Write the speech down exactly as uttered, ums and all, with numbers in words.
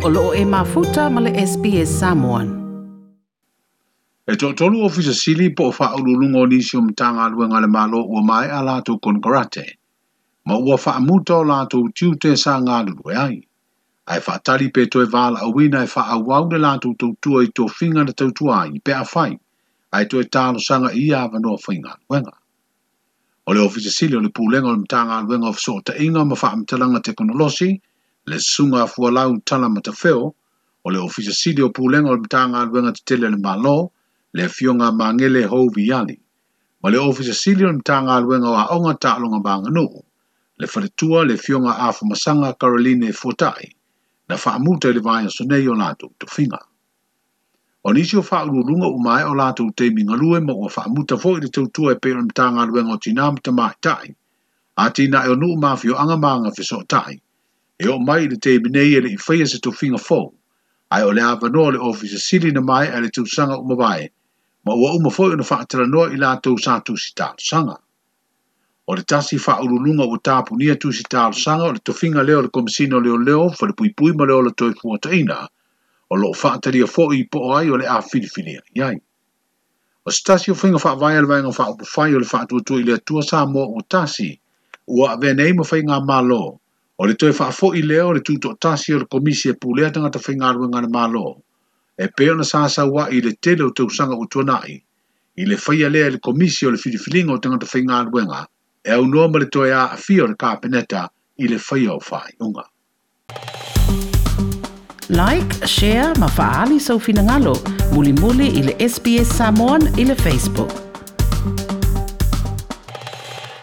O loo e mafuta ma le S B S Samoan. E toatolu ofisa sili po o faauluuluga o nisi o Matagaluega a le Malo ua maea latou konekarate, ma ua faamuta o latou tiute sa galulue ai. Ae faatali pe toe valaauina e faaauau le latou tautua i tofiga na tautua ai pe afai, ae toe talosaga i ia avanoa faigaluega. O le ofisa sili o le Pulega o le Matagaluega o Fesootaiga ma Faamatalaga Tekonolosi, le Susuga Fualau Tala Matafeo, o le ofisa sili o Pulega o le Matagaluega Tetele a le Malo, le Afioga Magele Houviali, ma le ofisa sili o le Matagaluega o Aoga Taaloga ma Aganuu, le Faletua le Afioga Afumasaga Caroline Fuatai, na faamuta i le vaiaso nei o latou tofiga. O nisi o faauluuluga ua maea o latou taimi galue ma ua faamuta foi le tautua e pei o le Matagaluega o Tinā ma Tamaitai, atinae o nuu ma afioaga ma agafesootai, e oo mai i le taimi nei e le i faia se tofiga fou, ae o le avanoa o le ofisa sili na maea i le tausaga ua mavae, ma ua uma foi ona faatalanoa i latou sa tusi talosaga. O le tasi faauluuluga ua tapunia tusi talosaga o le tofiga lea o le Komesina o Leoleo, Falepuipui ma le Ola Toefuataiga, o loo faatalia foi po o ai o le a filifilia i ai. O se tasi o faiga faavae a le Vaega Faaupufai o le Faatuatua i le Atua Samoa ua tasi, ua avea nei ma faigamalo, o le toe faafoi lea o le tutoatasi o le Komisi e Pulea Tagata Faigaluega a le Malo, e pei ona sa sauai i le tele o tausaga ua tuanai, i le faia lea e le Komisi o le Filifiliga o Tagata Faigaluega, e aunoa ma le toe aafia o le Kapeneta i le faia o faaiuga. Like, share ma faali sau finagalo, mulimuli i le S B S Samoan i le Facebook.